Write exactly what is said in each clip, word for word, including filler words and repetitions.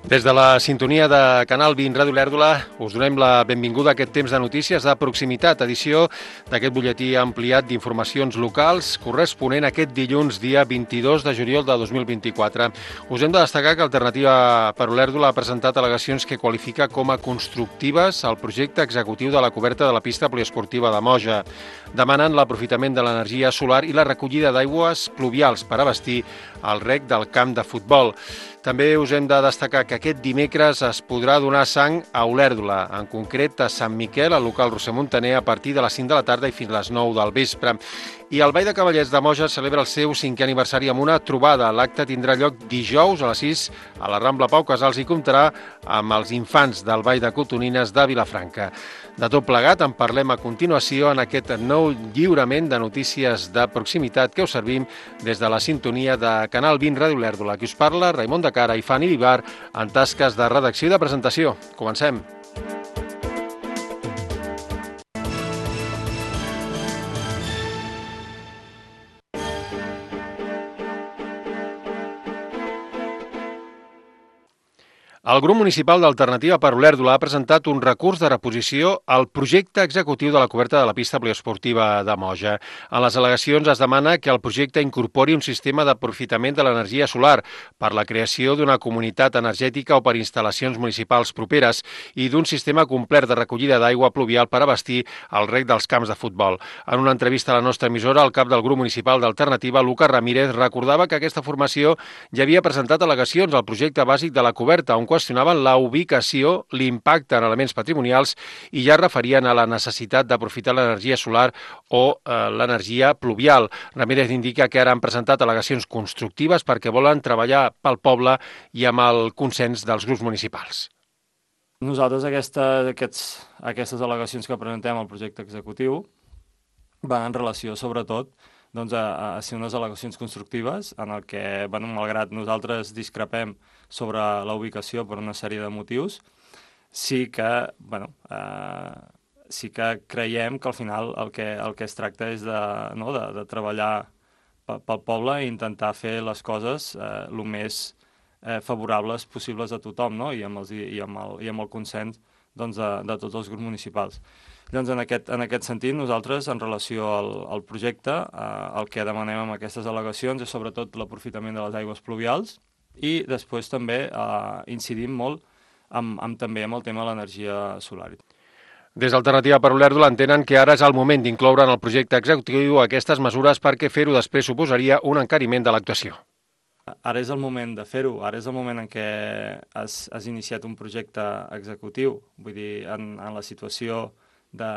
Des de la sintonia de Canal vint Ràdio Olèrdola us donem la benvinguda a aquest temps de notícies de proximitat, edició d'aquest butlletí ampliat d'informacions locals corresponent a aquest dilluns, dia vint-i-dos de juliol de dos mil vint-i-quatre. Us hem de destacar que Alternativa per Olèrdola ha presentat al·legacions que qualifica com a constructives el projecte executiu de la coberta de la pista poliesportiva de Moja. Demanen l'aprofitament de l'energia solar i la recollida d'aigües pluvials per abastir el rec del camp de futbol. També us hem de destacar que aquest dimecres es podrà donar sang a Olèrdola, en concret a Sant Miquel, al local Roser Montaner, a partir de les cinc de la tarda i fins a les nou del vespre. I el Ball de Cavallets de Moja celebra el seu cinquè aniversari amb una trobada. L'acte tindrà lloc dijous a les sis a la Rambla Pau Casals i comptarà amb els infants del Ball de Cotonines de Vilafranca. De tot plegat en parlem a continuació en aquest nou lliurament de notícies de proximitat que us servim des de la sintonia de Canal vint Ràdio Olèrdola. Qui us parla, Raimon de Cara i Fanny Vivar, en tasques de redacció i de presentació. Comencem. El grup municipal d'Alternativa per Olèrdola ha presentat un recurs de reposició al projecte executiu de la coberta de la pista poliesportiva de Moja. En les al·legacions es demana que el projecte incorpori un sistema d'aprofitament de l'energia solar per la creació d'una comunitat energètica o per instal·lacions municipals properes i d'un sistema complet de recollida d'aigua pluvial per abastir el rec dels camps de futbol. En una entrevista a la nostra emissora, el cap del grup municipal d'Alternativa, Lucas Ramírez, recordava que aquesta formació ja havia presentat al·legacions al projecte bàsic de la coberta, on qüestionaven la ubicació, l'impacte en elements patrimonials i ja referien a la necessitat d'aprofitar l'energia solar o eh, l'energia pluvial. Ramírez indica que ara han presentat al·legacions constructives perquè volen treballar pel poble i amb el consens dels grups municipals. Nosaltres aquesta, aquests, aquestes al·legacions que presentem al projecte executiu van en relació, sobretot, doncs, a, a ser unes al·legacions constructives en el que, bueno, malgrat nosaltres discrepem sobre la ubicació per una sèrie de motius, sí que, bueno, eh, sí que creiem que al final el que, el que es tracta és de, no, de, de treballar pel poble i intentar fer les coses eh, el més eh, favorables possibles a tothom, no? I, amb els, i, amb el, i amb el consens doncs, de, de tots els grups municipals. Llavors, en aquest, en aquest sentit, nosaltres, en relació al, al projecte, eh, el que demanem amb aquestes al·legacions és sobretot l'aprofitament de les aigües pluvials i després també eh, incidim molt amb, amb, també amb el tema de l'energia solar. Des d'Alternativa per Olèrdola entenen que ara és el moment d'incloure en el projecte executiu aquestes mesures perquè fer-ho després suposaria un encariment de l'actuació. Ara és el moment de fer-ho, ara és el moment en què has, has iniciat un projecte executiu, vull dir, en, en la situació de,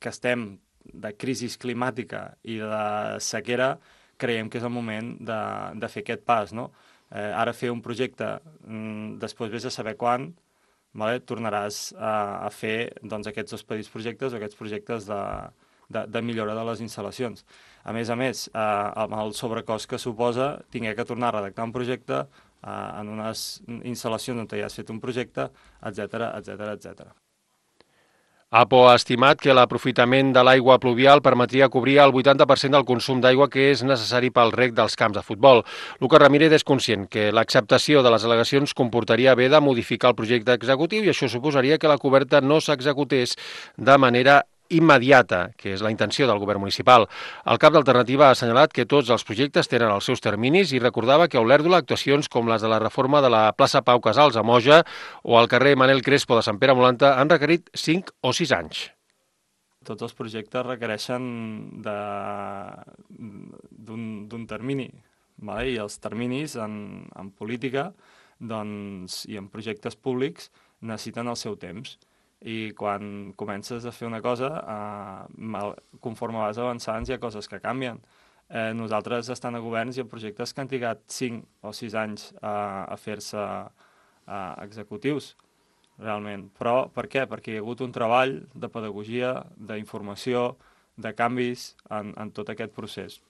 que estem de crisi climàtica i de sequera, creiem que és el moment de, de fer aquest pas, no? Eh, ara fer un projecte, mm, després vés a saber quan, vale? Tornaràs a, a fer doncs, aquests dos petits projectes o aquests projectes de, de, de millora de les instal·lacions. A més a més, eh, amb el sobrecost que suposa, tingué que tornar a redactar un projecte eh, en unes instal·lacions on ja has fet un projecte, etcètera, etcètera, etcètera. APO ha estimat que l'aprofitament de l'aigua pluvial permetria cobrir el vuitanta per cent del consum d'aigua que és necessari pel rec dels camps de futbol. Lucas Ramírez és conscient que l'acceptació de les al·legacions comportaria haver de modificar el projecte executiu i això suposaria que la coberta no s'executés de manera immediata, que és la intenció del govern municipal. El cap d'Alternativa ha assenyalat que tots els projectes tenen els seus terminis i recordava que a Olèrdola actuacions com les de la reforma de la plaça Pau Casals a Moja o al carrer Manel Crespo de Sant Pere Molanta han requerit cinc o sis anys. Tots els projectes requereixen d'un termini, vale? I els terminis en, en política doncs, i en projectes públics necessiten el seu temps. I quan comences a fer una cosa, eh, conforme vas avançant, hi ha coses que canvien. Eh, nosaltres estan a governs i a projectes que han trigat cinc o sis anys eh, a fer-se eh, executius, realment. Però per què? Perquè hi ha hagut un treball de pedagogia, d'informació, de canvis en, en tot aquest procés.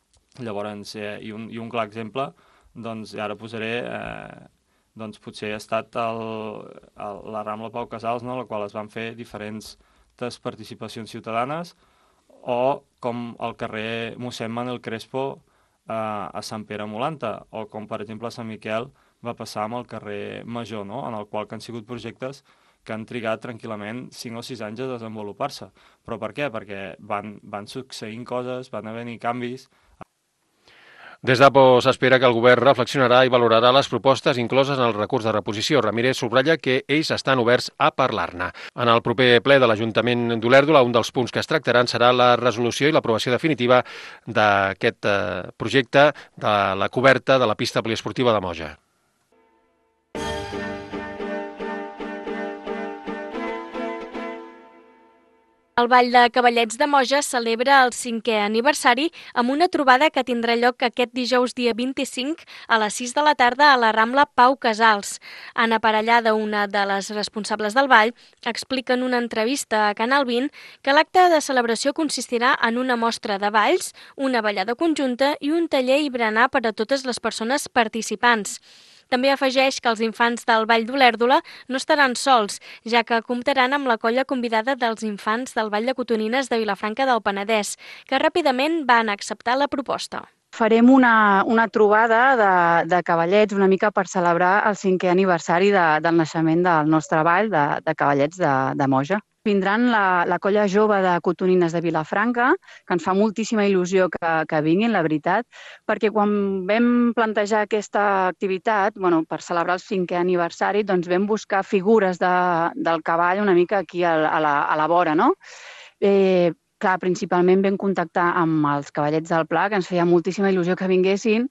Llavors, eh, i, un, i un clar exemple, doncs ara posaré... Eh, doncs potser ha estat el, el, la Rambla Pau Casals, no?, en la qual es van fer diferents participacions ciutadanes, o com el carrer mossèn Manel Crespo eh, a Sant Pere Molanta, o com per exemple a Sant Miquel va passar amb el carrer Major, no? En el qual que han sigut projectes que han trigat tranquil·lament cinc o sis anys a desenvolupar-se. Però per què? Perquè van, van succeint coses, van haver-hi canvis. Des d'APO s'espera que el govern reflexionarà i valorarà les propostes incloses en el recurs de reposició. Ramírez subratlla que ells estan oberts a parlar-ne. En el proper ple de l'Ajuntament d'Olèrdola, un dels punts que es tractaran serà la resolució i l'aprovació definitiva d'aquest projecte de la coberta de la pista poliesportiva de Moja. El Ball de Cavallets de Moja celebra el cinquè aniversari amb una trobada que tindrà lloc aquest dijous dia vint-i-cinc a les sis de la tarda a la Rambla Pau Casals. Anna Parellada, una de les responsables del ball, explica en una entrevista a Canal vint que l'acte de celebració consistirà en una mostra de balls, una ballada conjunta i un taller i berenar per a totes les persones participants. També afegeix que els infants del Ball d'Olèrdola no estaran sols, ja que comptaran amb la colla convidada dels infants del Ball de Cotonines de Vilafranca del Penedès, que ràpidament van acceptar la proposta. Farem una, una trobada de, de cavallets una mica per celebrar el cinquè aniversari de, del naixement del nostre ball de, de cavallets de, de Moja. Vindran la, la colla jove de Cotonines de Vilafranca, que ens fa moltíssima il·lusió que, que vinguin, la veritat, perquè quan vam plantejar aquesta activitat, bueno, per celebrar el cinquè aniversari, doncs vam buscar figures de, del cavall una mica aquí a, a, la, a la vora, no? Eh, clar, principalment vam contactar amb els cavallets del Pla, que ens feia moltíssima il·lusió que vinguessin,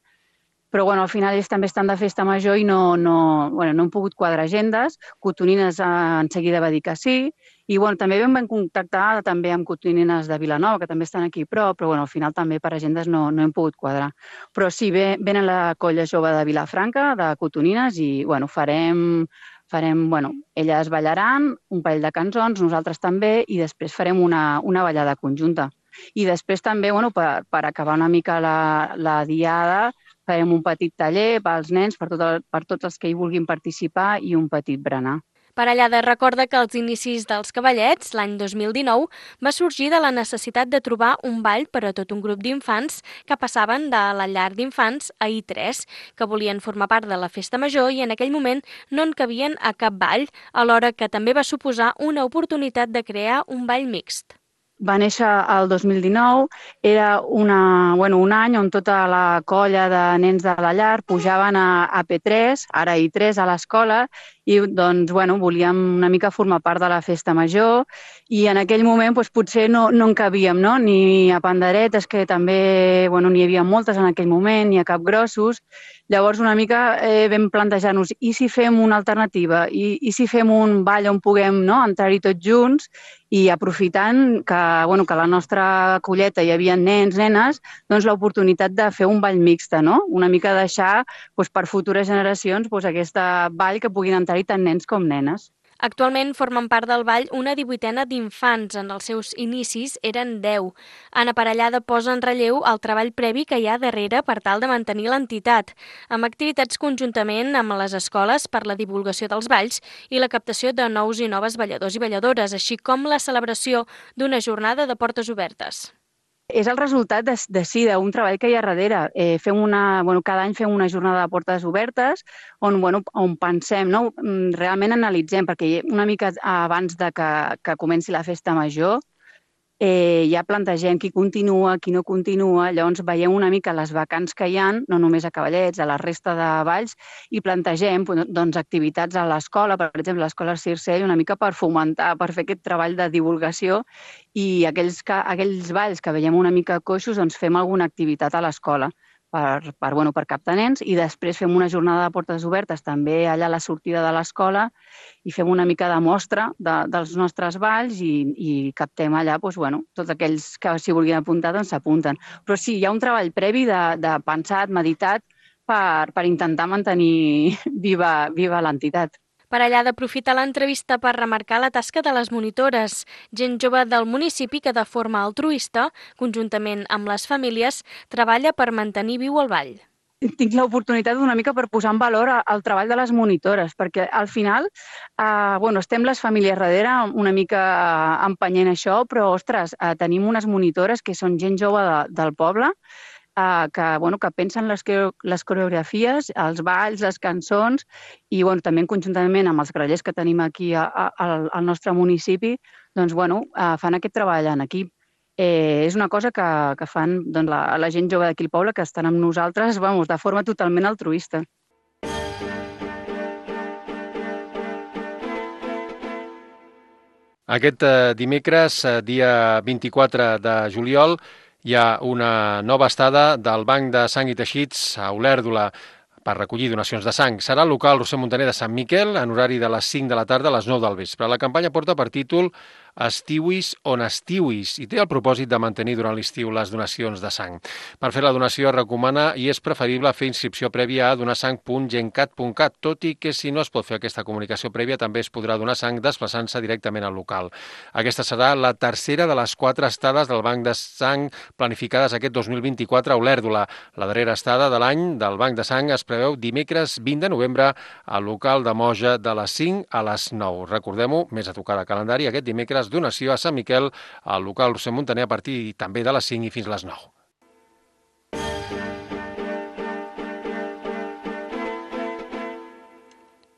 però bueno, al final ells també estan de festa major i no, no, bueno, no hem pogut quadrar agendes. Cotonines eh, en seguida va dir que sí, i bueno, també vam contactar també amb Cotonines de Vilanova, que també estan aquí a prop, però bueno, al final també per agendes no, no hem pogut quadrar. Però sí, ve, venen la colla jove de Vilafranca, de Cotonines, i bueno, farem, farem, bueno, elles ballaran un parell de cançons, nosaltres també, i després farem una, una ballada conjunta. I després també, bueno, per, per acabar una mica la, la diada, farem un petit taller pels nens, per, tot el, per tots els que hi vulguin participar, i un petit berenar. Parellada recorda que els inicis dels cavallets, l'any dos mil dinou, va sorgir de la necessitat de trobar un ball per a tot un grup d'infants que passaven de la llar d'infants a I tres, que volien formar part de la festa major i en aquell moment no en cabien a cap ball, alhora que també va suposar una oportunitat de crear un ball mixt. Va néixer el dos mil dinou, era una, bueno, un any on tota la colla de nens de la llar pujaven a, a P tres, ara I tres, a l'escola, i doncs, bueno, volíem una mica formar part de la festa major i en aquell moment doncs, potser no, no en cabíem, no? Ni a panderetes, que també bueno, n'hi havia moltes en aquell moment, ni a capgrossos. Llavors una mica eh, vam plantejar-nos i si fem una alternativa, i, i si fem un ball on puguem no, entrar-hi tots junts i aprofitant que, bueno, que a la nostra colleta hi havia nens, nenes, doncs l'oportunitat de fer un ball mixta, no? Una mica deixar doncs, per futures generacions doncs, aquesta ball que puguin entrar-hi tant nens com nenes. Actualment formen part del ball una divuitena d'infants. En els seus inicis eren deu. Anna Parellada posa en relleu el treball previ que hi ha darrere per tal de mantenir l'entitat, amb activitats conjuntament amb les escoles per la divulgació dels balls i la captació de nous i noves balladors i balladores, així com la celebració d'una jornada de portes obertes. És el resultat de, de sí, d'un treball que hi ha darrere. Eh, fem una, bueno, cada any fem una jornada de portes obertes on, bueno, on pensem, no? Realment analitzem, perquè una mica abans de que, que comenci la festa major eh, ja plantegem qui continua, qui no continua, llavors veiem una mica les vacants que hi ha, no només a Cavallets, a la resta de balls, i plantegem doncs, activitats a l'escola, per exemple, l'escola Circell, una mica per fomentar, per fer aquest treball de divulgació, i aquells, que, aquells balls que veiem una mica coixos, doncs fem alguna activitat a l'escola per, per, bueno, per captar nens, i després fem una jornada de portes obertes també allà a la sortida de l'escola i fem una mica de mostra de, dels nostres balls i, i captem allà doncs, bueno, tots aquells que s'hi vulguin apuntar doncs s'apunten. Però sí, hi ha un treball previ de, de pensat, meditat, per, per intentar mantenir viva, viva l'entitat. Parellada aprofita l'entrevista per remarcar la tasca de les monitores, gent jove del municipi que de forma altruista, conjuntament amb les famílies, treballa per mantenir viu el ball. Tinc l'oportunitat una mica per posar en valor el treball de les monitores, perquè al final eh, bueno, estem les famílies darrere una mica empenyent això, però ostres, eh, tenim unes monitores que són gent jove de, del poble, eh, que, bueno, que pensen les, les coreografies, els balls, les cançons, i bueno, també conjuntament amb els grallers que tenim aquí a, a, al nostre municipi, doncs, bueno, eh, fan aquest treball en equip. Eh, és una cosa que, que fan doncs, la, la gent jove d'aquí al poble, que estan amb nosaltres, vamos, de forma totalment altruista. Aquest eh, dimecres, eh, dia vint-i-quatre de juliol, hi ha una nova estada del Banc de Sang i Teixits a Olèrdola per recollir donacions de sang. Serà al local Roser Montaner de Sant Miquel en horari de les cinc de la tarda a les nou del vespre. La campanya porta per títol Estiuis on estiuis i té el propòsit de mantenir durant l'estiu les donacions de sang. Per fer la donació es recomana i és preferible fer inscripció prèvia a donasang punt gencat punt cat, tot i que si no es pot fer aquesta comunicació prèvia també es podrà donar sang desplaçant-se directament al local. Aquesta serà la tercera de les quatre estades del Banc de Sang planificades aquest dos mil vint-i-quatre a Olèrdola. La darrera estada de l'any del Banc de Sang es preveu dimecres vint de novembre al local de Moja de les cinc a les nou. Recordem-ho, més a tocar de calendari, aquest dimecres donació a Sant Miquel al local Roser Montaner a partir també de les cinc i fins les nou.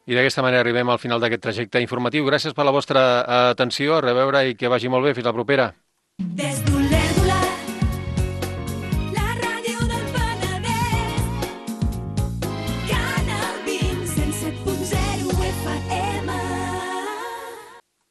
I d'aquesta manera arribem al final d'aquest trajecte informatiu. Gràcies per la vostra atenció, a reveure i que vagi molt bé. Fins la propera.